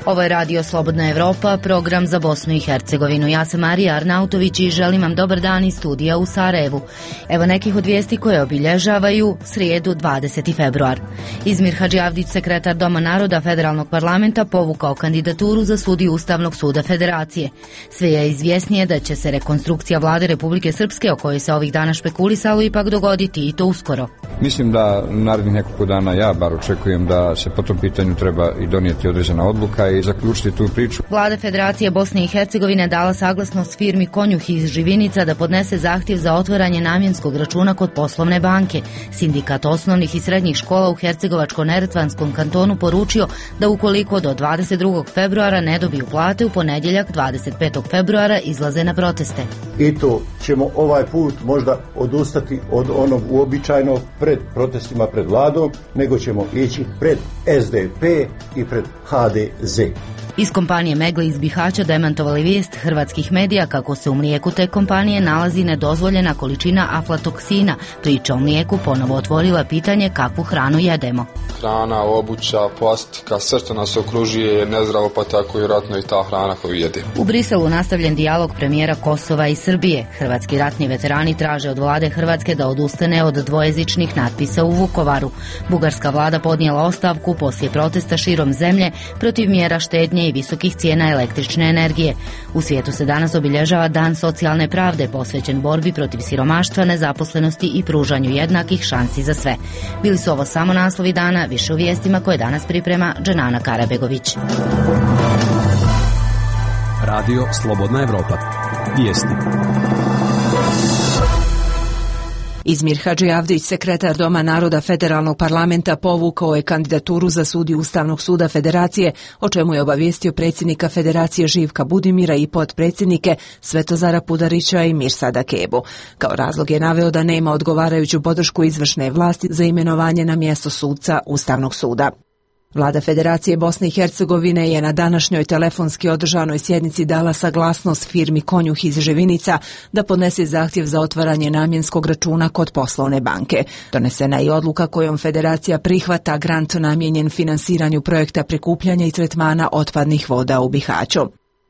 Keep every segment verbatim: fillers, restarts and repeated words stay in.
Ovo je Radio Slobodna Evropa, program za Bosnu i Hercegovinu. Ja sam Marija Arnautović i želim vam dobar dan iz studija u Sarajevu. Evo nekih od vijesti koje obilježavaju srijedu dvadeseti februar. Izmir Hadžiavdić, sekretar Doma naroda Federalnog parlamenta, povukao kandidaturu za sudiju Ustavnog suda Federacije. Sve je izvjesnije da će se rekonstrukcija vlade Republike Srpske, o kojoj se ovih dana špekulisalo, ipak dogoditi i to uskoro. Mislim da narednih nekoliko dana ja bar očekujem da se po tom pitanju treba i donijeti određena odluka i zaključiti tu priču. Vlada Federacije Bosne i Hercegovine dala saglasnost firmi Konjuh iz Živinica da podnese zahtjev za otvaranje namjenskog računa kod poslovne banke. Sindikat osnovnih i srednjih škola u Hercegovačko-neretvanskom kantonu poručio da ukoliko do dvadeset drugog februara ne dobiju plate, u ponedjeljak dvadeset petog februara izlaze na proteste. I to ćemo ovaj put možda odustati od onog uobičajenog pred protestima pred vladom, nego ćemo ići pred S D P i pred H D Z. Iz kompanije Meggle iz Bihaća demantovali vijest hrvatskih medija kako se u mlijeku te kompanije nalazi nedozvoljena količina aflatoksina. Priča o mlijeku ponovo otvorila pitanje kakvu hranu jedemo. Hrana, obuća, plastika, sve što nas okružuje je nezdravo, pa tako i vjerojatno i ta hrana koju jedemo. U Briselu nastavljen dijalog premijera Kosova i Srbije. Hrvatski ratni veterani traže od vlade Hrvatske da odustane od dvojezičnih natpisa u Vukovaru. Bugarska vlada podnijela ostavku poslije protesta širom zemlje protiv mjera štednje i visokih cijena električne energije. U svijetu se danas obilježava Dan socijalne pravde, posvećen borbi protiv siromaštva, nezaposlenosti i pružanju jednakih šansi za sve. Bili su ovo samo naslovi dana, više u vijestima koje danas priprema Dženana Karabegović. Radio Slobodna Evropa. Vijesti. Izmir Hadžiavdić, sekretar Doma naroda Federalnog parlamenta, povukao je kandidaturu za sudiju Ustavnog suda Federacije, o čemu je obavijestio predsjednika Federacije Živka Budimira i potpredsjednike Svetozara Pudarića i Mirsada Kebu. Kao razlog je naveo da nema odgovarajuću podršku izvršne vlasti za imenovanje na mjesto suca Ustavnog suda. Vlada Federacije Bosne i Hercegovine je na današnjoj telefonski održanoj sjednici dala saglasnost firmi Konjuh iz Živinica da podnese zahtjev za otvaranje namjenskog računa kod poslovne banke. Donesena je odluka kojom Federacija prihvata grant namijenjen finansiranju projekta prikupljanja i tretmana otpadnih voda u Bihaću.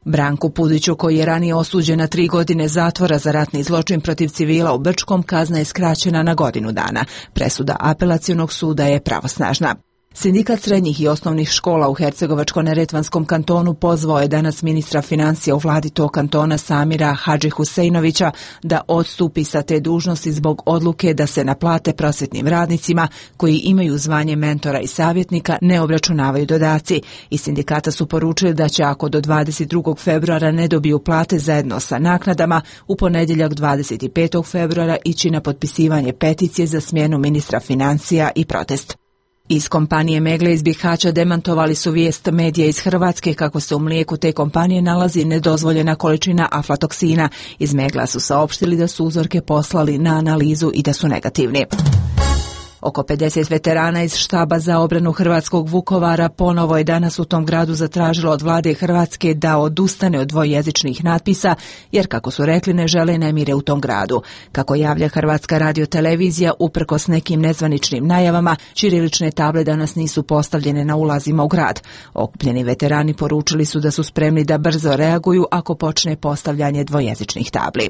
Branku Pudiću, koji je ranije osuđen na tri godine zatvora za ratni zločin protiv civila u Brčkom, kazna je skraćena na godinu dana. Presuda apelacionog suda je pravosnažna. Sindikat srednjih i osnovnih škola u Hercegovačko-neretvanskom kantonu pozvao je danas ministra financija u vladi tog kantona Samira Hadži Huseinovića da odstupi sa te dužnosti zbog odluke da se na plate prosvjetnim radnicima koji imaju zvanje mentora i savjetnika ne obračunavaju dodaci. Iz sindikata su poručili da će, ako do dvadeset drugog februara ne dobiju plate zajedno sa naknadama, u ponedjeljak dvadeset petog februara ići na potpisivanje peticije za smjenu ministra financija i protest. Iz kompanije Meggle iz Bihaća demantovali su vijest medija iz Hrvatske kako se u mlijeku te kompanije nalazi nedozvoljena količina aflatoksina. Iz Meggla su saopštili da su uzorke poslali na analizu i da su negativni. Oko pedeset veterana iz štaba za obranu hrvatskog Vukovara ponovo je danas u tom gradu zatražilo od vlade Hrvatske da odustane od dvojezičnih natpisa, jer, kako su rekli, ne žele nemire u tom gradu. Kako javlja Hrvatska radiotelevizija, uprkos nekim nezvaničnim najavama, ćirilične table danas nisu postavljene na ulazima u grad. Okupljeni veterani poručili su da su spremni da brzo reaguju ako počne postavljanje dvojezičnih tabli.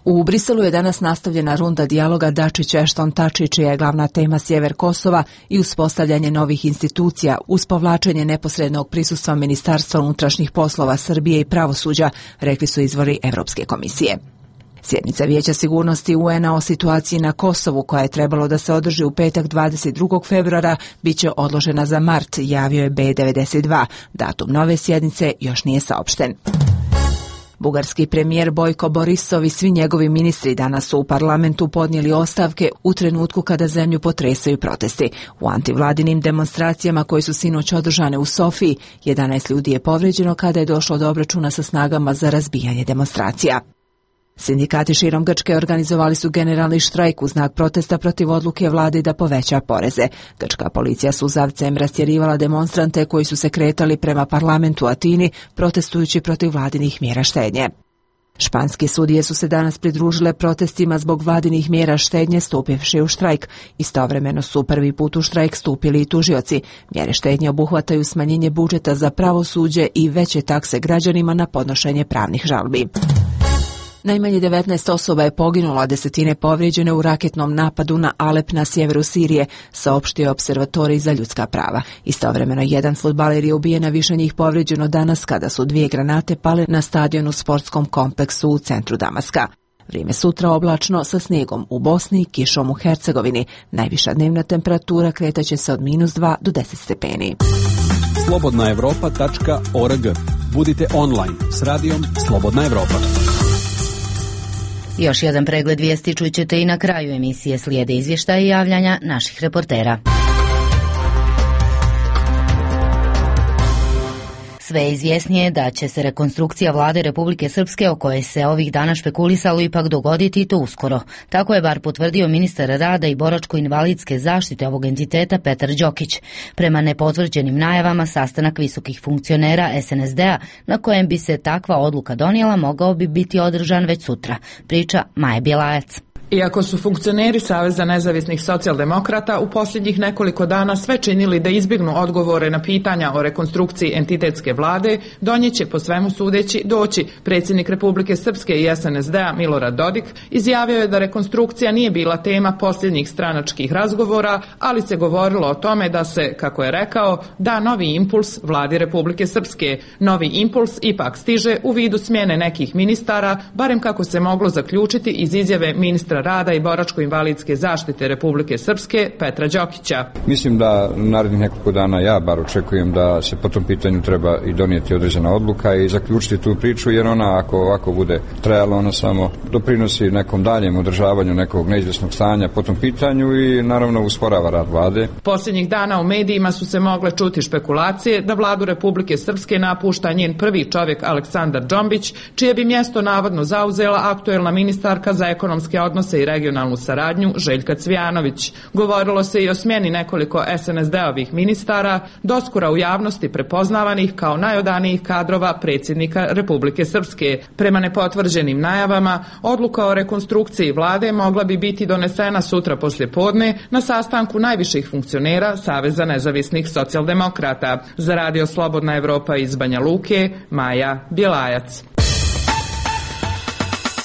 U Briselu je danas nastavljena runda dijaloga Dačić-Ešton-Tači, čija je glavna tema sjever Kosova i uspostavljanje novih institucija uz povlačenje neposrednog prisustva Ministarstva unutrašnjih poslova Srbije i pravosuđa, rekli su izvori Evropske komisije. Sjednica Vijeća sigurnosti U N-a o situaciji na Kosovu, koja je trebalo da se održi u petak dvadeset drugog februara, bit će odložena za mart, javio je B devedeset dva. Datum nove sjednice još nije saopšten. Bugarski premijer Bojko Borisov i svi njegovi ministri danas su u parlamentu podnijeli ostavke u trenutku kada zemlju potresaju protesti. U antivladinim demonstracijama koje su sinoć održane u Sofiji, jedanaest ljudi je povrijeđeno kada je došlo do obračuna sa snagama za razbijanje demonstracija. Sindikati širom Grčke organizovali su generalni štrajk u znak protesta protiv odluke vlade da poveća poreze. Grčka policija suzavcem rastjerivala demonstrante koji su se kretali prema parlamentu u Atini, protestujući protiv vladinih mjera štednje. Španske sudije su se danas pridružile protestima zbog vladinih mjera štednje stupivši u štrajk. Istovremeno su prvi put u štrajk stupili i tužioci. Mjere štednje obuhvataju smanjenje budžeta za pravosuđe i veće takse građanima na podnošenje pravnih žalbi. Najmanje devetnaest osoba je poginulo, a desetine povrijeđene u raketnom napadu na Alep na sjeveru Sirije, saopštio je Opservatorij za ljudska prava. Istovremeno jedan fudbaler je ubijen, a više njih povrijeđeno danas kada su dvije granate pale na stadionu u sportskom kompleksu u centru Damaska. Vrijeme sutra oblačno sa snijegom u Bosni i kišom u Hercegovini. Najviša dnevna temperatura kretaće se od minus dva do deset stepeni. slobodna europa tačka org. Budite online s radijom Slobodna Evropa. Još jedan pregled vijesti čućete i na kraju emisije, slijede izvještaja i javljanja naših reportera. Sve je izvjesnije da će se rekonstrukcija vlade Republike Srpske, o kojoj se ovih dana špekulisalo, ipak dogoditi i to uskoro. Tako je bar potvrdio ministar rada i boračko-invalidske zaštite ovog entiteta Petar Đokić. Prema nepotvrđenim najavama, sastanak visokih funkcionera es en es de a na kojem bi se takva odluka donijela mogao bi biti održan već sutra. Priča Maja Bjelajac. Iako su funkcioneri Saveza nezavisnih socijaldemokrata u posljednjih nekoliko dana sve činili da izbjegnu odgovore na pitanja o rekonstrukciji entitetske vlade, do nje će po svemu sudeći doći. Predsjednik Republike Srpske i es en es de a Milorad Dodik izjavio je da rekonstrukcija nije bila tema posljednjih stranačkih razgovora, ali se govorilo o tome da se, kako je rekao, da novi impuls vladi Republike Srpske. Novi impuls ipak stiže u vidu smjene nekih ministara, barem kako se moglo zaključiti iz izjave ministra rada i boračko-invalidske zaštite Republike Srpske Petra Đokića. Mislim da narednih nekoliko dana ja bar očekujem da se po tom pitanju treba i donijeti određena odluka i zaključiti tu priču, jer ona ako ovako bude trajala, ona samo doprinosi nekom daljem održavanju nekog neizvjesnog stanja po tom pitanju i naravno usporava rad vlade. Posljednjih dana u medijima su se mogle čuti špekulacije da vladu Republike Srpske napušta njen prvi čovjek Aleksandar Džombić, čije bi mjesto navodno zauzela aktuelna ministarka za ekonomske odnose i regionalnu saradnju Željka Cvijanović. Govorilo se i o smjeni nekoliko es en es de ovih ministara, doskora u javnosti prepoznavanih kao najodanijih kadrova predsjednika Republike Srpske. Prema nepotvrđenim najavama, odluka o rekonstrukciji vlade mogla bi biti donesena sutra poslijepodne na sastanku najviših funkcionera Saveza nezavisnih socijaldemokrata. Za radio Slobodna Evropa iz Banja Luke, Maja Bjelajac.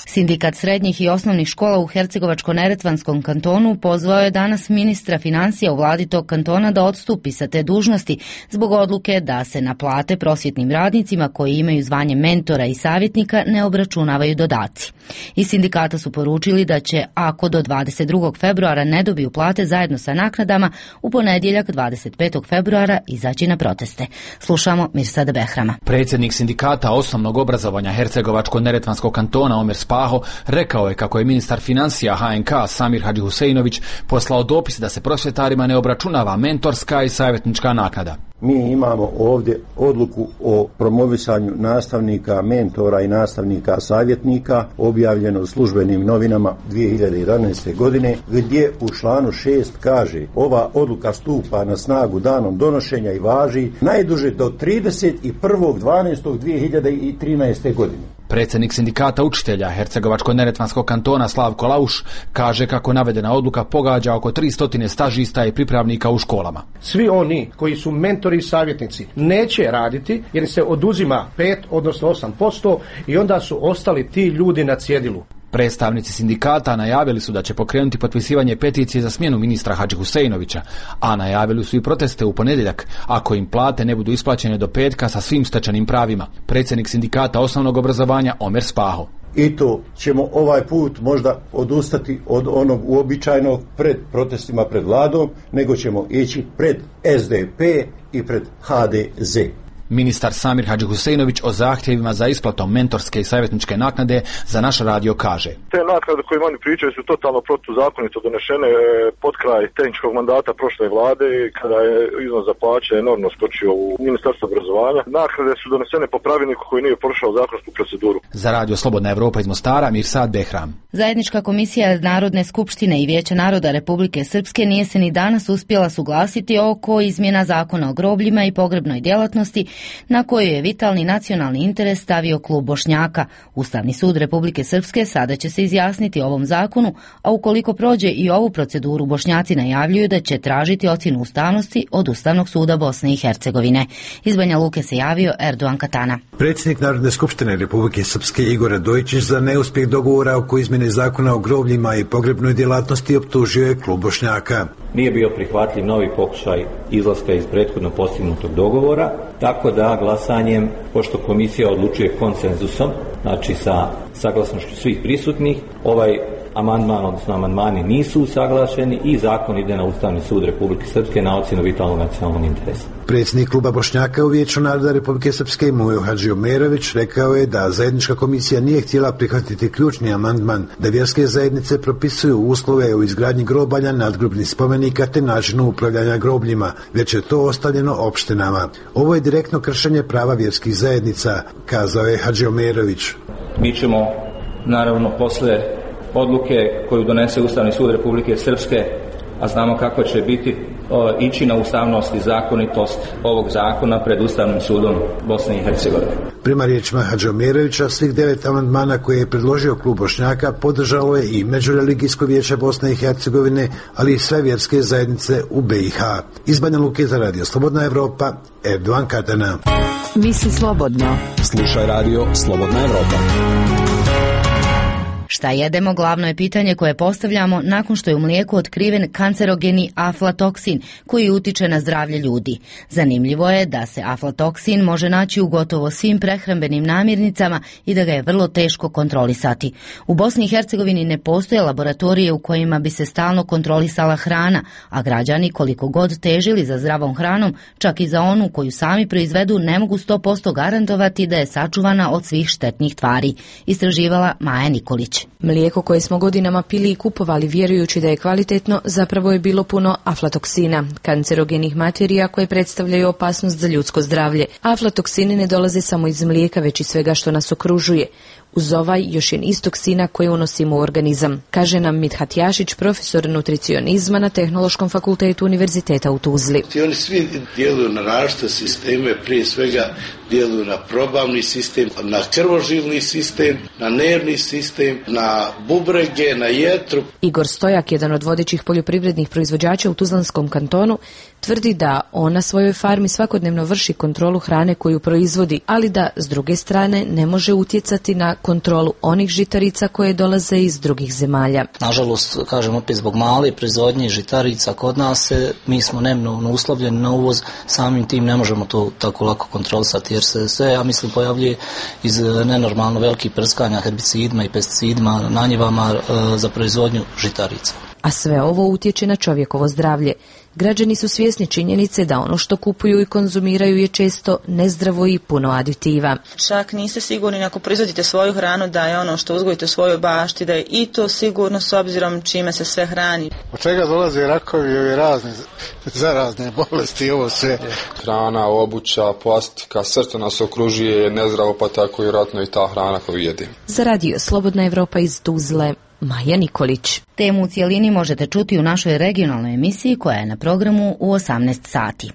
Sindikat srednjih i osnovnih škola u Hercegovačko-neretvanskom kantonu pozvao je danas ministra financija u vladi tog kantona da odstupi sa te dužnosti zbog odluke da se na plate prosvjetnim radnicima koji imaju zvanje mentora i savjetnika ne obračunavaju dodaci. Iz sindikata su poručili da će, ako do dvadeset drugog februara ne dobiju plate zajedno sa naknadama, u ponedjeljak dvadeset petog februara izaći na proteste. Slušamo Mirsada Behrama. Predsjednik sindikata osnovnog obrazovanja Hercegovačko-neretvanskog kantona Omer Spaho rekao je kako je ministar financija ha en ka Samir Hadžihuseinović poslao dopis da se prosvjetarima ne obračunava mentorska i savjetnička naknada. Mi imamo ovdje odluku o promovisanju nastavnika, mentora i nastavnika savjetnika objavljeno u službenim novinama dvije hiljade jedanaeste. godine, gdje u članu šest kaže: ova odluka stupa na snagu danom donošenja i važi najduže do trideset prvog dvanaestog dvije hiljade trinaeste. godine. Predsjednik sindikata učitelja Hercegovačko-neretvanskog kantona Slavko Lauš kaže kako navedena odluka pogađa oko tristo stažista i pripravnika u školama. Svi oni koji su mentori i savjetnici neće raditi jer se oduzima pet odnosno osam posto i onda su ostali ti ljudi na cjedilu. Predstavnici sindikata najavili su da će pokrenuti potpisivanje peticije za smjenu ministra Hadžihuseinovića, a najavili su i proteste u ponedjeljak ako im plate ne budu isplaćene do petka sa svim stečenim pravima. Predsjednik sindikata osnovnog obrazovanja Omer Spaho. I to ćemo ovaj put možda odustati od onog uobičajenog pred protestima pred vladom, nego ćemo ići pred es de pe i pred ha de ze. Ministar Samir Hadžihuseinović o zahtjevima za isplatom mentorske i savjetničke naknade za naš radio kaže: te naknade koje oni pričaju su totalno protuzakonito donešene pod kraj tehničkog mandata prošle vlade, kada je iznos za plaće enormno skočio u Ministarstvo obrazovanja. Naknade su donesene po pravilniku koji nije prošao zakonsku proceduru. Za radio Slobodna Evropa iz Mostara, Mirsad Behram. Zajednička komisija Narodne skupštine i Vijeća naroda Republike Srpske nije se ni danas uspjela suglasiti oko izmjena zakona o grobljima i pogrebnoj djelatnosti na koju je vitalni nacionalni interes stavio klub Bošnjaka. Ustavni sud Republike Srpske sada će se izjasniti o ovom zakonu, a ukoliko prođe i ovu proceduru, Bošnjaci najavljuju da će tražiti ocjenu ustavnosti od Ustavnog suda Bosne i Hercegovine. Iz Banja Luke se javio Erdogan Katana. Predsjednik Narodne skupštine Republike Srpske Igor Radojičić za neuspjeh dogovora oko izmjene zakona o grobljima i pogrebnoj djelatnosti optužio je klub Bošnjaka. Nije bio prihvatljiv novi pokušaj izlaska iz prethodno postignutog dogovora, tako da glasanjem, pošto komisija odlučuje konsenzusom, znači sa saglasnošću svih prisutnih, ovaj amandman, odnosno amandmani nisu usaglašeni i zakon ide na Ustavni sud Republike Srpske na ocjenu vitalnog nacionalnog interesa. Predsjednik kluba Bošnjaka u Vijeću naroda Republike Srpske Mujo Hadžiomerović rekao je da zajednička komisija nije htjela prihvatiti ključni amandman da vjerske zajednice propisuju uslove u izgradnji grobalja, nadgrobnih spomenika te načinu upravljanja grobljima, već je to ostavljeno opštinama. Ovo je direktno kršenje prava vjerskih zajednica, kazao je Hadžiomerović. Mi ćemo, naravno, posle odluke koju donese Ustavni sud Republike Srpske, a znamo kako će biti, o, ići na ustavnost i zakonitost ovog zakona pred Ustavnim sudom Bosne i Hercegovine. Prema riječima Hadžiomerovića, svih devet amandmana koje je predložio klub Bošnjaka podržalo je i Međureligijsko vijeće Bosne i Hercegovine, ali i sve vjerske zajednice u B i H. Iz Banja Luke za Radio Slobodna Evropa, Erdogan Katana. Misli slobodno. Slušaj Radio Slobodna Evropa. Šta jedemo, glavno je pitanje koje postavljamo nakon što je u mlijeku otkriven kancerogeni aflatoksin koji utiče na zdravlje ljudi. Zanimljivo je da se aflatoksin može naći u gotovo svim prehrambenim namirnicama i da ga je vrlo teško kontrolisati. U Bosni i Hercegovini ne postoje laboratorije u kojima bi se stalno kontrolisala hrana, a građani koliko god težili za zdravom hranom, čak i za onu koju sami proizvedu, ne mogu sto posto garantovati da je sačuvana od svih štetnih tvari. Istraživala Maja Nikolić. Mlijeko koje smo godinama pili i kupovali vjerujući da je kvalitetno, zapravo je bilo puno aflatoksina, kancerogenih materija koje predstavljaju opasnost za ljudsko zdravlje. Aflatoksini ne dolaze samo iz mlijeka, već i svega što nas okružuje. Uz ovaj još je niz toksina koje unosimo u organizam, kaže nam Mithat Jašić, profesor nutricionizma na Tehnološkom fakultetu Univerziteta u Tuzli. Oni svi djeluju na različite sisteme, prije svega djeluju na probavni sistem, na krvožilni sistem, na nervni sistem, na bubrege, na jetru. Igor Stojak, jedan od vodećih poljoprivrednih proizvođača u Tuzlanskom kantonu, tvrdi da on na svojoj farmi svakodnevno vrši kontrolu hrane koju proizvodi, ali da s druge strane ne može utjecati na kontrolu onih žitarica koje dolaze iz drugih zemalja. Nažalost, kažem opet, zbog male proizvodnje žitarica kod nas se, mi smo neminovno uslovljeni na uvoz, samim tim ne možemo to tako lako kontrolisati jer se sve, ja mislim, pojavljuje iz nenormalno velikih prskanja herbicidima i pesticidima na njivama e, za proizvodnju žitarica. A sve ovo utječe na čovjekovo zdravlje. Građani su svjesni činjenice da ono što kupuju i konzumiraju je često nezdravo i puno aditiva. Čak niste sigurni ako proizvodite svoju hranu da je ono što uzgojite u svojoj bašti, da je i to sigurno s obzirom čime se sve hrani. Od čega dolaze rakovi i razne zarazne bolesti, ovo sve. Hrana, obuća, plastika, sve što nas okružuje je nezdravo, pa tako i vjerojatno i ta hrana koju jedimo. Za Radio Slobodna Evropa iz Tuzle, Maja Nikolić. Temu u cijelini možete čuti u našoj regionalnoj emisiji koja je na programu u osamnaest sati.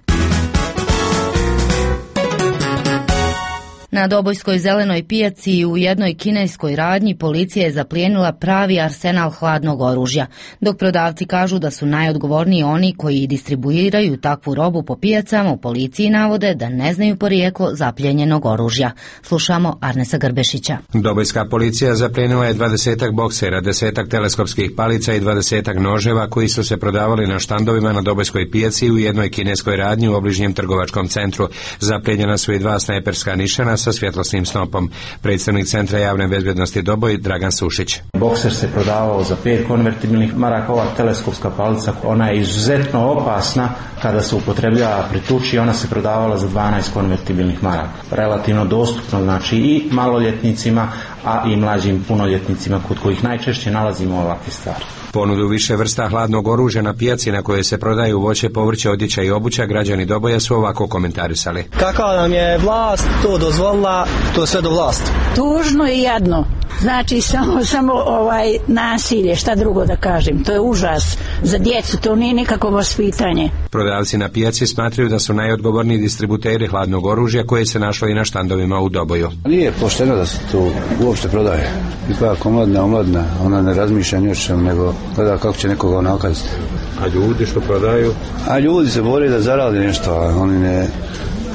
Na Dobojskoj zelenoj pijaci i u jednoj kineskoj radnji policija je zaplijenila pravi arsenal hladnog oružja, dok prodavci kažu da su najodgovorniji oni koji distribuiraju takvu robu po pijacama. U policiji navode da ne znaju porijeklo zapljenjenog oružja. Slušamo Arnesa Grbešića. Dobojska policija zaplijenila je dvadesetak boksera, desetak teleskopskih palica i dvadesetak noževa koji su se prodavali na štandovima na Dobojskoj pijaci u jednoj kineskoj radnji u obližnjem trgovačkom centru. Zaplijenjena su i dva snajperska nišana sa svjetlosnim snopom. Predstavnik Centra javne bezbjednosti Doboj Dragan Sušić. Bokser se prodavao za pet konvertibilnih maraka, ova teleskopska palica, ona je izuzetno opasna kada se upotrebljava pri tuči, ona se prodavala za dvanaest konvertibilnih maraka. Relativno dostupno, znači i maloljetnicima, a i mlađim punoljetnicima kod kojih najčešće nalazimo ovakve stvari. Ponudu više vrsta hladnog oružja na pijaci na kojoj se prodaju voće, povrće, odjeća i obuća građani Doboja su ovako komentarisali. Kakva nam je vlast to dozvolila, to sve do vlasti. Tužno i jedno. Znači samo, samo ovaj nasilje, šta drugo da kažem, to je užas za djecu, to nije nikakvo vaspitanje. Prodavci na pijaci smatraju da su najodgovorniji distributeri hladnog oružja koje se našlo i na štandovima u Doboju. Nije pošteno da se to uopšte prodaje. Ipak omladna, omladna, ona ne razmišlja ni o čemu, nego gleda kako će nekoga onakaziti. A ljudi što prodaju? A ljudi se bore da zarade nešto, a oni ne...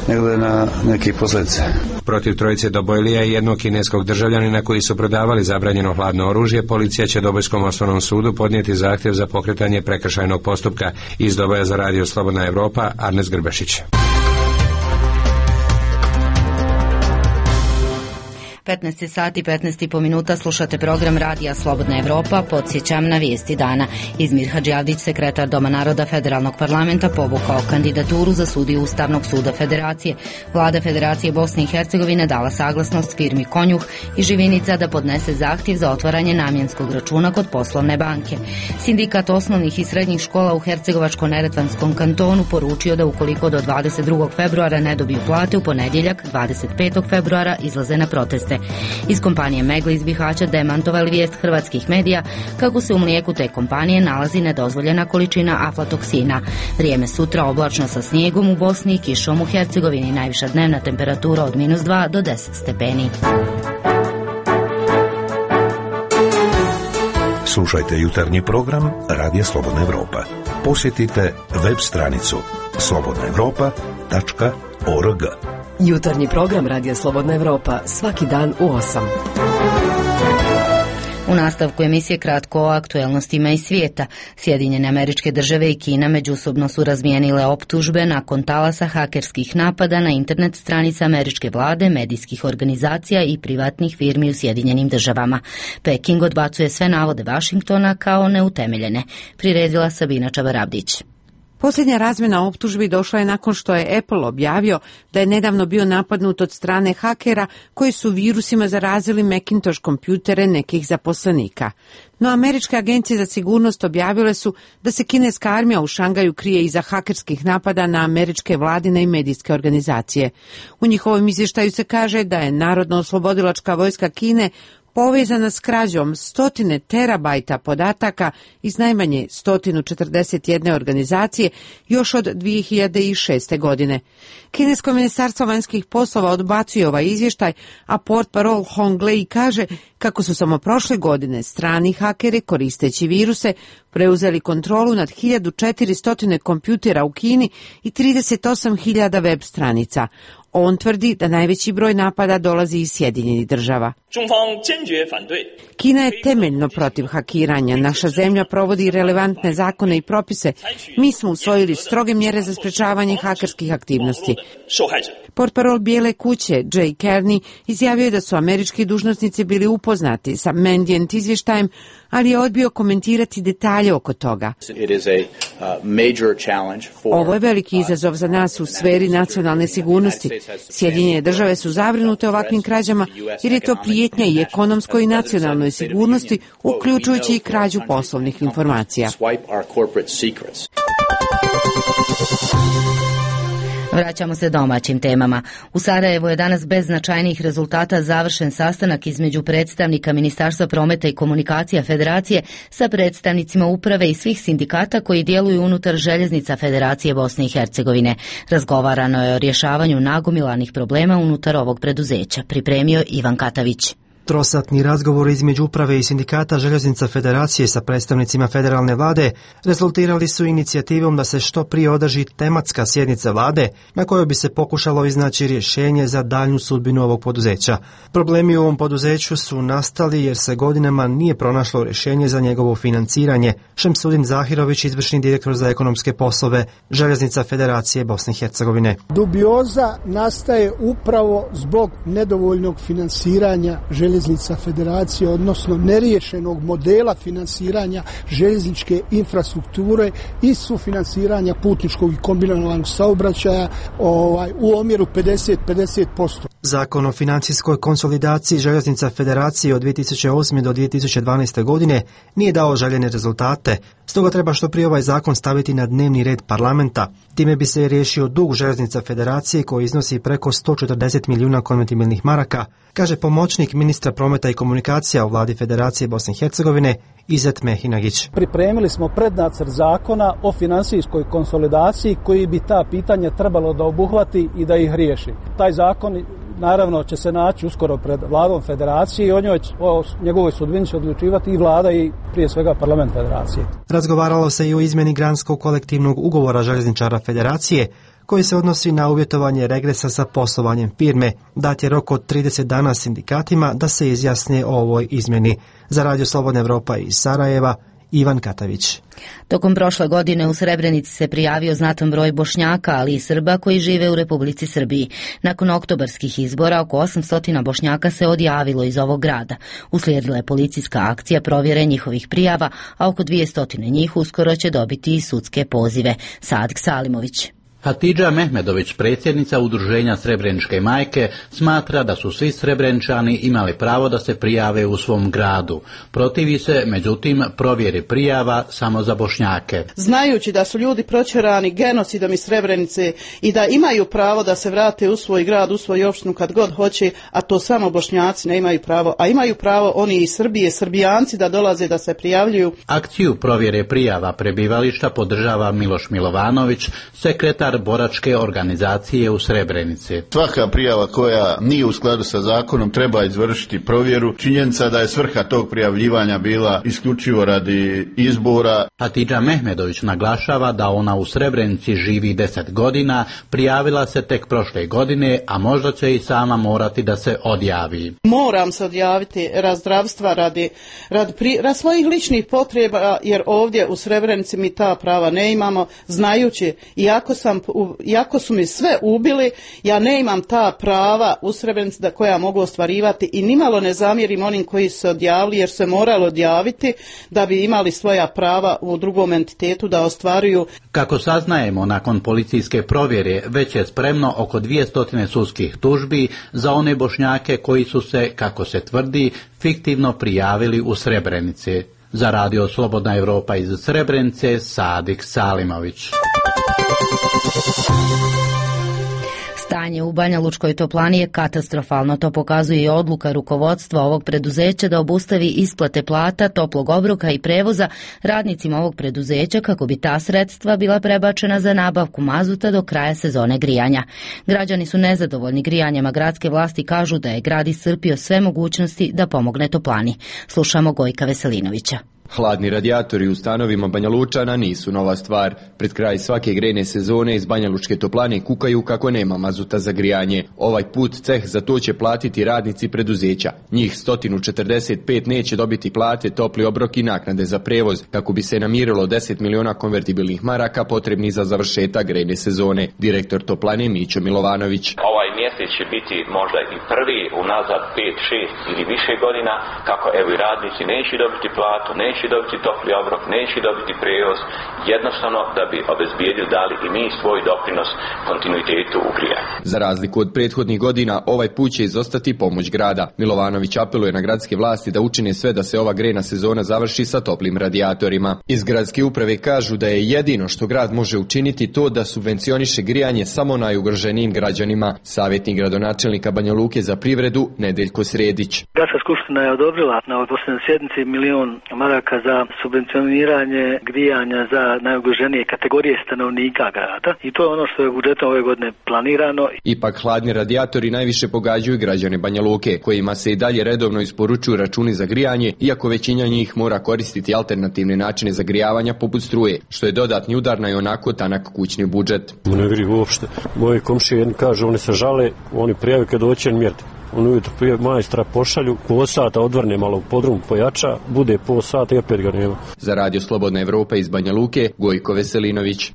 nego na neke posljedice. Protiv trojice Dobojlija i jednog kineskog državljanina koji su prodavali zabranjeno hladno oružje, policija će Dobojskom osnovnom sudu podnijeti zahtjev za pokretanje prekršajnog postupka. Iz Doboja za radio Slobodna Evropa, Arnes Grbešić. petnaest sati petnaest i po minuta, slušate program Radija Slobodna Evropa. Podsjećam na vijesti dana. Izmir Hadžiavdić, sekretar Doma naroda Federalnog parlamenta, povukao kandidaturu za sudiju Ustavnog suda Federacije. Vlada Federacije Bosne i Hercegovine dala saglasnost firmi Konjuh i Živinica da podnese zahtjev za otvaranje namjenskog računa kod poslovne banke. Sindikat osnovnih i srednjih škola u Hercegovačko-neretvanskom kantonu poručio da ukoliko do dvadeset drugog februara ne dobiju plate, u ponedjeljak dvadeset petog februara izlaze na proteste. Iz kompanije Megla iz Bihaća demantovali vijest hrvatskih medija kako se u mlijeku te kompanije nalazi nedozvoljena količina aflatoksina. Vrijeme sutra oblačno sa snijegom u Bosni i kišom u Hercegovini, najviša dnevna temperatura od minus dva do deset stepeni. Slušajte jutarnji program Radija Slobodna Evropa. Posjetite web stranicu slobodna evropa tačka org. Jutarnji program Radija Slobodna Evropa svaki dan u osam. U nastavku emisije kratko o aktuelnostima iz svijeta. Sjedinjene Američke Države i Kina međusobno su razmijenile optužbe nakon talasa hakerskih napada na internet stranice američke vlade, medijskih organizacija i privatnih firmi u Sjedinjenim Državama. Peking odbacuje sve navode Vašingtona kao neutemeljene. Priredila Sabina Čabarabdić. Posljednja razmjena optužbi došla je nakon što je Apple objavio da je nedavno bio napadnut od strane hakera koji su virusima zarazili Macintosh kompjutere nekih zaposlenika. No američke agencije za sigurnost objavile su da se kineska armija u Šangaju krije iza hakerskih napada na američke vladine i medijske organizacije. U njihovom izvještaju se kaže da je Narodno-oslobodilačka vojska Kine povezana s krađom stotine terabajta podataka iz najmanje sto četrdeset jedne organizacije još od dvije hiljade šeste. godine. Kinesko ministarstvo vanjskih poslova odbacuje ovaj izvještaj, a portparol Hong Lei kaže kako su samo prošle godine strani hakeri koristeći viruse preuzeli kontrolu nad hiljadu četiristo kompjutera u Kini i trideset osam hiljada web stranica. On tvrdi da najveći broj napada dolazi iz Sjedinjenih Država. Kina je temeljno protiv hakiranja. Naša zemlja provodi relevantne zakone i propise. Mi smo usvojili stroge mjere za sprečavanje hakerskih aktivnosti. Portparol Bijele kuće Jay Carney izjavio je da su američki dužnosnici bili upoznati sa Mandiant izvještajem, ali je odbio komentirati detalje oko toga. Ovo je veliki izazov za nas u sferi nacionalne sigurnosti. Sjedinjene Države su zabrinute ovakvim krađama jer je to prijetnja i ekonomskoj i nacionalnoj sigurnosti, uključujući i krađu poslovnih informacija. Vraćamo se domaćim temama. U Sarajevu je danas bez značajnijih rezultata završen sastanak između predstavnika Ministarstva prometa i komunikacija Federacije sa predstavnicima uprave i svih sindikata koji djeluju unutar željeznica Federacije Bosne i Hercegovine. Razgovarano je o rješavanju nagomilanih problema unutar ovog preduzeća. Pripremio Ivan Katavić. Trosatni razgovor između uprave i sindikata željeznica Federacije sa predstavnicima federalne vlade rezultirali su inicijativom da se što prije održi tematska sjednica vlade na kojoj bi se pokušalo iznaći rješenje za daljnju sudbinu ovog poduzeća. Problemi u ovom poduzeću su nastali jer se godinama nije pronašlo rješenje za njegovo financiranje. Šemsudin Zahirović, izvršni direktor za ekonomske poslove željeznica Federacije Bosne i Hercegovine. Dubioza nastaje upravo zbog nedovoljnog financiranja željeznica Federacije, odnosno neriješenog modela finansiranja željezničke infrastrukture i sufinansiranja putničkog i kombinovanog saobraćaja ovaj, u omjeru pedeset pedeset posto. Zakon o financijskoj konsolidaciji željeznica Federacije od dvije tisuće osme do dvije tisuće dvanaeste godine nije dao željene rezultate, stoga treba što prije ovaj zakon staviti na dnevni red parlamenta. Time bi se riješio dug željeznica Federacije koji iznosi preko sto četrdeset milijuna konvertibilnih maraka, kaže pomoćnik ministra prometa i komunikacija u vladi Federacije Bosne i Hercegovine Izet Mehinagić. Pripremili smo prednacrt zakona o financijskoj konsolidaciji koji bi ta pitanja trebalo da obuhvati i da ih riješi. Taj zakon naravno će se naći uskoro pred vladom Federacije i o njoj, o njegovoj sudbini će odlučivati i vlada i prije svega parlament Federacije. Razgovaralo se i o izmjeni granskog kolektivnog ugovora željezničara Federacije koji se odnosi na uvjetovanje regresa sa poslovanjem firme. Dat je rok od trideset dana sindikatima da se izjasne o ovoj izmjeni. Za Radio Slobodna Evropa iz Sarajeva, Ivan Katavić. Tokom prošle godine u Srebrenici se prijavio znatan broj Bošnjaka, ali i Srba koji žive u Republici Srbiji. Nakon oktobarskih izbora oko osamsto Bošnjaka se odjavilo iz ovog grada. Uslijedila je policijska akcija provjere njihovih prijava, a oko dvjesto njih uskoro će dobiti i sudske pozive. Sadik Salimović. Hatidža Mehmedović, predsjednica udruženja Srebreničke majke, smatra da su svi Srebreničani imali pravo da se prijave u svom gradu. Protivi se, međutim, provjeri prijava samo za Bošnjake. Znajući da su ljudi proćerani genocidom iz Srebrenice i da imaju pravo da se vrate u svoj grad, u svoju opštinu kad god hoće, a to samo Bošnjaci ne imaju pravo, a imaju pravo oni iz Srbije, Srbijanci da dolaze da se prijavljuju. Akciju provjere prijava prebivališta podržava Miloš Milovanović, sekretar boračke organizacije u Srebrenici. Svaka prijava koja nije u skladu sa zakonom treba izvršiti provjeru. Činjenica da je svrha tog prijavljivanja bila isključivo radi izbora. Hatidža Mehmedović naglašava da ona u Srebrenici živi deset godina, prijavila se tek prošle godine, a možda će i sama morati da se odjavi. Moram se odjaviti radi zdravstva, radi, radi, pri, radi svojih ličnih potreba, jer ovdje u Srebrenici mi ta prava ne imamo, znajući, iako sam iako su mi sve ubili, ja ne imam ta prava u Srebrenici da koja mogu ostvarivati i nimalo ne zamjerim onim koji su se odjavili jer se moralo odjaviti da bi imali svoja prava u drugom entitetu da ostvaruju. Kako saznajemo, nakon policijske provjere već je spremno oko dvjesto sudskih tužbi za one Bošnjake koji su se, kako se tvrdi, fiktivno prijavili u Srebrenici. Za Radio Slobodna Evropa iz Srebrenice, Sadik Salimović. Stanje u Banja Lučkoj toplani je katastrofalno, to pokazuje i odluka rukovodstva ovog preduzeća da obustavi isplate plata, toplog obroka i prevoza radnicima ovog preduzeća kako bi ta sredstva bila prebačena za nabavku mazuta do kraja sezone grijanja. Građani su nezadovoljni grijanjem, a gradske vlasti kažu da je grad iscrpio sve mogućnosti da pomogne toplani. Slušamo Gojka Veselinovića. Hladni radijatori u stanovima Banja Lučana nisu nova stvar. Pred kraj svake grejne sezone iz Banja Lučke toplane kukaju kako nema mazuta za grijanje. Ovaj put ceh za to će platiti radnici preduzeća. Njih sto četrdeset pet neće dobiti plate, topli obrok i naknade za prevoz, kako bi se namirilo deset miliona konvertibilnih maraka potrebnih za završetak grejne sezone. Direktor toplane Mićo Milovanović. Ovaj mjesec će biti možda i prvi unazad pet, šest ili više godina kako evo i radnici neće dobiti platu, neće neće dobiti topli obrok, neće dobiti prevoz, jednostavno da bi obezbijedili dali i mi svoj doprinos kontinuitetu u grijanju. Za razliku od prethodnih godina, ovaj put će izostati pomoć grada. Milovanović apeluje na gradske vlasti da učine sve da se ova grejna sezona završi sa toplim radijatorima. Iz gradske uprave kažu da je jedino što grad može učiniti to da subvencioniše grijanje samo najugroženijim građanima. Savjetnik gradonačelnika Banja Luke za privredu Nedeljko Sredić. Gradska skupština je odobrila na ovoj posljednjoj sjednici milion maraka za subvencioniranje grijanja za najugroženije kategorije stanovnika grada i to je ono što je budžetom ove godine planirano. Ipak hladni radijatori najviše pogađaju građane Banja Luke, kojima se i dalje redovno isporučuju računi za grijanje, iako većina njih mora koristiti alternativne načine zagrijavanja poput struje, što je dodatni udar na i onako tanak kućni budžet. Ne gri uopšte. Moji komšije jedni kažu, oni se žale, oni prijave kad doće mjeriti. on ujutro prije majstra pošalju, po sata odvrne malo u podrum, pojača, bude po sata i opet ga nema. Za Radio Slobodna Evropa iz Banja Luke, Gojko Veselinović.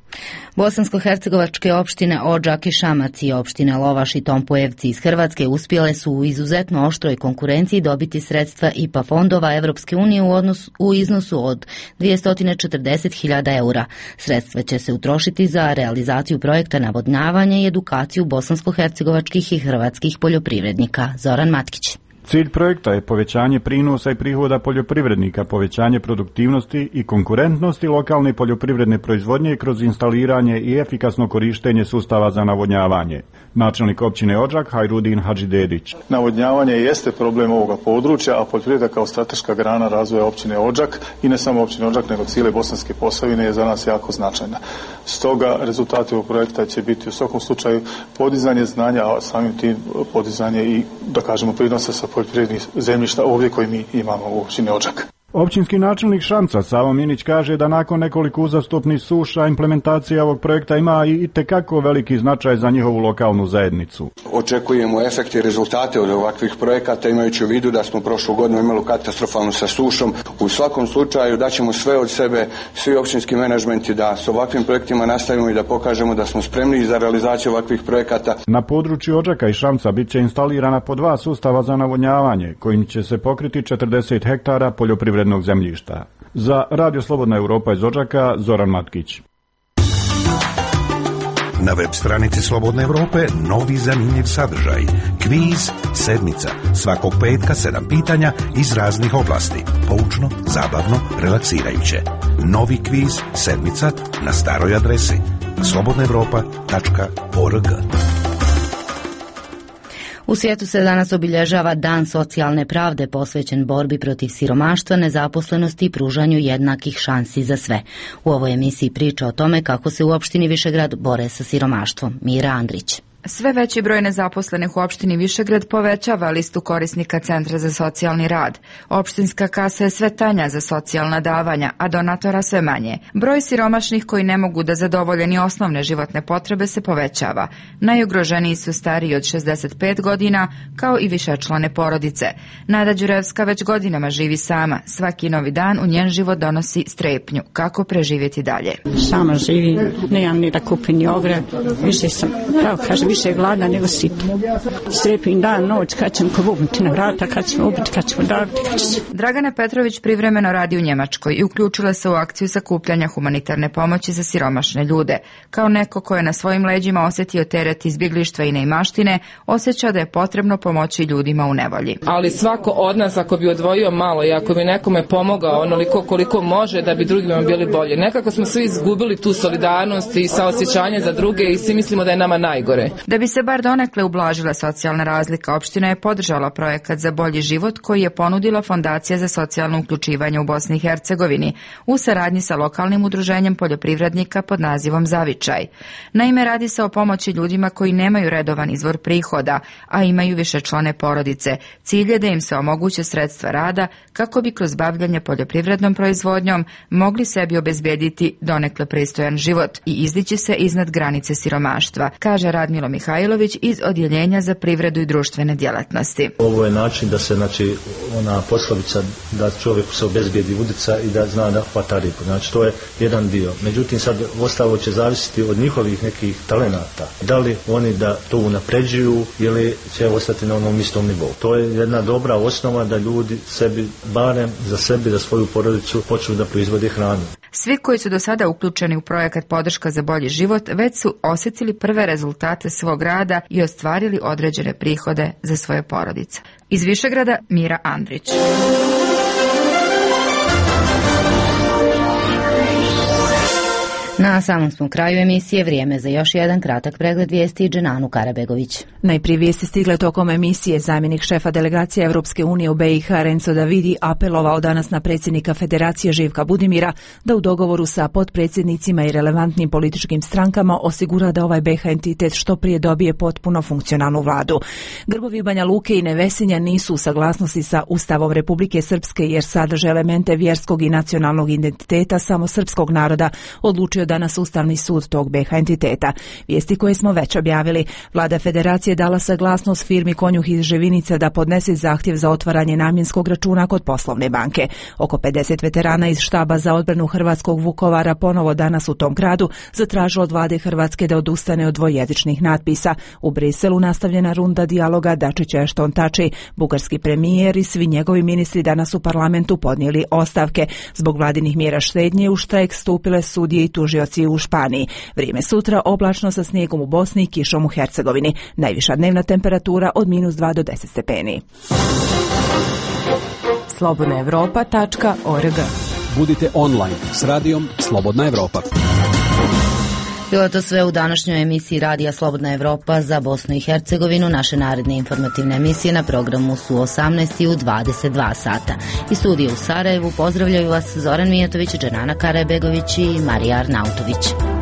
Bosansko-hercegovačke opštine Odžak i Šamac i opštine Lovaš i Tompojevci iz Hrvatske uspjele su u izuzetno oštroj konkurenciji dobiti sredstva I P A fondova Evropske unije u, odnos, u iznosu od dvjesto četrdeset hiljada eura. Sredstva će se utrošiti za realizaciju projekta navodnjavanja i edukaciju bosansko-hercegovačkih i hrvatskih poljoprivrednika. Zoran Matkić. Cilj projekta je povećanje prinosa i prihoda poljoprivrednika, povećanje produktivnosti i konkurentnosti lokalne poljoprivredne proizvodnje kroz instaliranje i efikasno korištenje sustava za navodnjavanje. Načelnik općine Odžak Hajrudin Hadžidedić. Navodnjavanje jeste problem ovoga područja, a poljoprivreda kao strateška grana razvoja općine Odžak i ne samo općine Odžak nego cijele Bosanske Posavine je za nas jako značajna. Stoga rezultati ovog projekta će biti u svakom slučaju podizanje znanja, a samim tim podizanje i da kažemo prinosa sa poljoprivrednih zemljišta ovdje koji mi imamo u općini Odžak. Općinski načelnik Šamca Savo Minić kaže da nakon nekoliko uzastopnih suša implementacija ovog projekta ima i itekako veliki značaj za njihovu lokalnu zajednicu. Očekujemo efekte i rezultate od ovakvih projekata imajući u vidu da smo prošlu godinu imali katastrofalnu sa sušom. U svakom slučaju daćemo sve od sebe, svi općinski menadžmenti da s ovakvim projektima nastavimo i da pokažemo da smo spremni za realizaciju ovakvih projekata. Na području Odžaka i Šamca bit će instalirana po dva sustava za navodnjavanje kojim će se pokriti četrdeset hektara poljoprivrednog zemljišta. Za Radio Slobodna Evropa iz Odžaka, Zoran Matkić. Na web stranici Slobodne Evrope novi zanimljiv sadržaj. Kviz sedmica. Svakog petka sedam pitanja iz raznih oblasti. Poučno, zabavno, relaksirajuće. Novi kviz sedmica na staroj adresi slobodna evropa tačka org. U svijetu se danas obilježava Dan socijalne pravde posvećen borbi protiv siromaštva, nezaposlenosti i pružanju jednakih šansi za sve. U ovoj emisiji priča o tome kako se u opštini Višegrad bore sa siromaštvom. Mira Andrić. Sve veći broj nezaposlenih u opštini Višegrad povećava listu korisnika Centra za socijalni rad. Opštinska kasa je sve tanja za socijalna davanja, a donatora sve manje. Broj siromašnih koji ne mogu da zadovolje ni osnovne životne potrebe se povećava. Najugroženiji su stariji od šezdeset pet godina, kao i višečlane porodice. Nada Đurevska već godinama živi sama. Svaki novi dan u njen život donosi strepnju. Kako preživjeti dalje? Sama živim, nemam ni da kupim ni ogrev. Više sam, pravo kažem, više je gladna nego sitna. Strepim dan, noć, kad ćemo pobugnuti na vrata, kad ćemo ubiti, kad ćemo daviti, kad ćemo... Dragana Petrović privremeno radi u Njemačkoj i uključila se u akciju sakupljanja humanitarne pomoći za siromašne ljude. Kao neko ko je na svojim leđima osjetio teret izbjeglištva i neimaštine, osjeća da je potrebno pomoći ljudima u nevolji. Ali svako od nas ako bi odvojio malo i ako bi nekome pomogao onoliko koliko može da bi drugima bili bolje. Nekako smo svi izgubili tu solidarnost i saosjećanje za druge i svi mislimo da je nama najgore. Da bi se bar donekle ublažila socijalna razlika, opština je podržala projekat za bolji život koji je ponudila Fondacija za socijalno uključivanje u Bosni i Hercegovini u saradnji sa lokalnim udruženjem poljoprivrednika pod nazivom Zavičaj. Naime, radi se o pomoći ljudima koji nemaju redovan izvor prihoda, a imaju višečlane porodice. Cilj je da im se omoguće sredstva rada kako bi kroz bavljanje poljoprivrednom proizvodnjom mogli sebi obezbediti donekle pristojan život i izdići se iznad granice siromaštva, kaže Radmilo Mihajlović iz Odjeljenja za privredu i društvene djelatnosti. Ovo je način da se, znači, ona poslovica da čovjeku se obezbijedi udica i da zna da hvata ribu. Znači, to je jedan dio. Međutim, sad ostalo će zavisiti od njihovih nekih talenata. Da li oni da to unapređuju ili će ostati na onom istom nivou. To je jedna dobra osnova da ljudi sebi, barem za sebi, za svoju porodicu, počnu da proizvode hranu. Svi koji su do sada uključeni u projekat Podrška za bolji život već su osjetili prve rezultate svog rada i ostvarili određene prihode za svoje porodice. Iz Višegrada, Mira Andrić. Na samom smo kraju emisije, vrijeme za još jedan kratak pregled vijesti. Dženanu Karabegović. Najprije vijesti stigle tokom emisije. Zamjenik šefa delegacije Evropske unije u B i H Renzo Davidi apelovao danas na predsjednika Federacije Živka Budimira da u dogovoru sa potpredsjednicima i relevantnim političkim strankama osigura da ovaj B H entitet što prije dobije potpuno funkcionalnu vladu. Grbovi Banja Luke i Nevesinja nisu u saglasnosti sa Ustavom Republike Srpske jer sadrže elemente vjerskog i nacionalnog identiteta samo srpskog naroda, odlučio danas Ustavni sud tog B iH entiteta. Vijesti koje smo već objavili. Vlada Federacije dala saglasnost firmi Konjuh iz Ževinica da podnese zahtjev za otvaranje namjenskog računa kod poslovne banke. Oko pedeset veterana iz štaba za odbranu hrvatskog Vukovara ponovo danas u tom gradu zatražilo od vlade Hrvatske da odustane od dvojezičnih natpisa. U Briselu nastavljena runda dijaloga Dačić-Ashton Tači. Bugarski premijer i svi njegovi ministri danas u parlamentu podnijeli ostavke. Zbog vladinih mjera štednje u štrajk stupile sudije i tužioci u Španiji. Vrijeme sutra oblačno sa snijegom u Bosni i kišom u Hercegovini. Najviša dnevna temperatura od minus dva do deset stepeni. slobodna europa tačka org. Budite online s radijom Slobodna Evropa. Bilo je to sve u današnjoj emisiji Radija Slobodna Evropa za Bosnu i Hercegovinu. Naše naredne informativne emisije na programu su osamnaest i u dvadeset dva sata. Iz studija u Sarajevu pozdravljaju vas Zoran Mijatović, Dženana Karabegović i Marija Arnautović.